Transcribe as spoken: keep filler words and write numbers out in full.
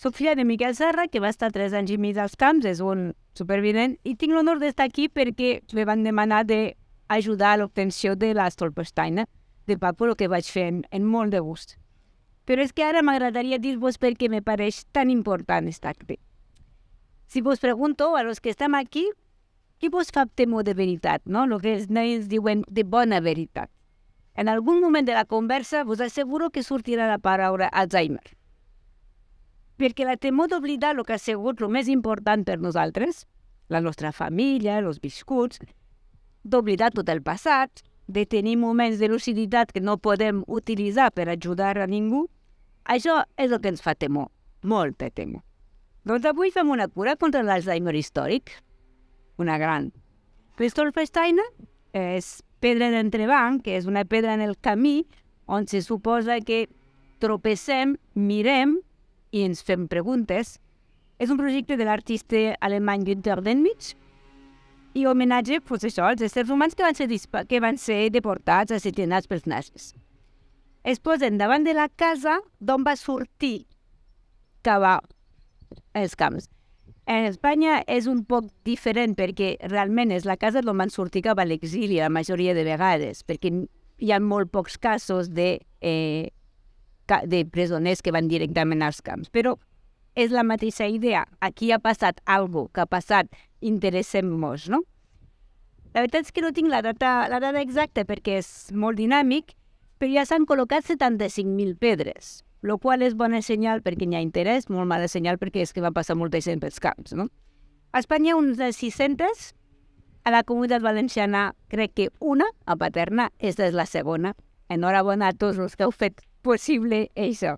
Soc filla de Miquel Serra, que va estar tres anys i mig als camps, és un supervivent, i tinc l'honor d'estar aquí perquè me van demanar d'ajudar a l'obtenció de la Stolpersteiner de Paco, el que vaig fer en, en molt de gust. Però és que ara m'agradaria dir-vos per què me pareix tan important estar aquí. Si vos pregunto a los que estem aquí, qui vos fa temor de veritat, no? El que els nens diuen de bona veritat. En algun moment de la conversa vos asseguro que sortirà la paraula Alzheimer. Perquè la temor d'oblidar el que ha sigut el més important per nosaltres, la nostra família, els viscuts, d'oblidar tot el passat, de tenir moments de luciditat que no podem utilitzar per ajudar a ningú, això és el que ens fa temor, molta temor. Doncs avui fem una cura contra l'Alzheimer històric, una gran. La Stolpersteiner és pedra d'entrebanc, que és una pedra en el camí on se suposa que tropecem, mirem i ens fem preguntes. És un projecte de l'artista alemany Günter Denmich i homenatge, pues això, als éssers humans que van ser, que van ser deportats, assassinats pels nazis. Es posen davant de la casa d'on va sortir cap als camps. En Espanya és un poc diferent perquè realment és la casa d'on van sortir cap a l'exili la majoria de vegades, perquè hi ha molt pocs casos de, eh, de presoners que van directament als camps. Però és la mateixa idea. Aquí ha passat alguna cosa, que ha passat, interessem-nos, no? La veritat és que no tinc la data, la data exacta perquè és molt dinàmic, però ja s'han col·locat setanta-cinc mil pedres, el qual és bona senyal perquè hi ha interès, molt mala senyal perquè és que va passar molta gent pels camps, no? A Espanya uns sis-centes, a la Comunitat Valenciana crec que una, a Paterna, esta és la segona. Enhorabona a tots els que heu fet possible això.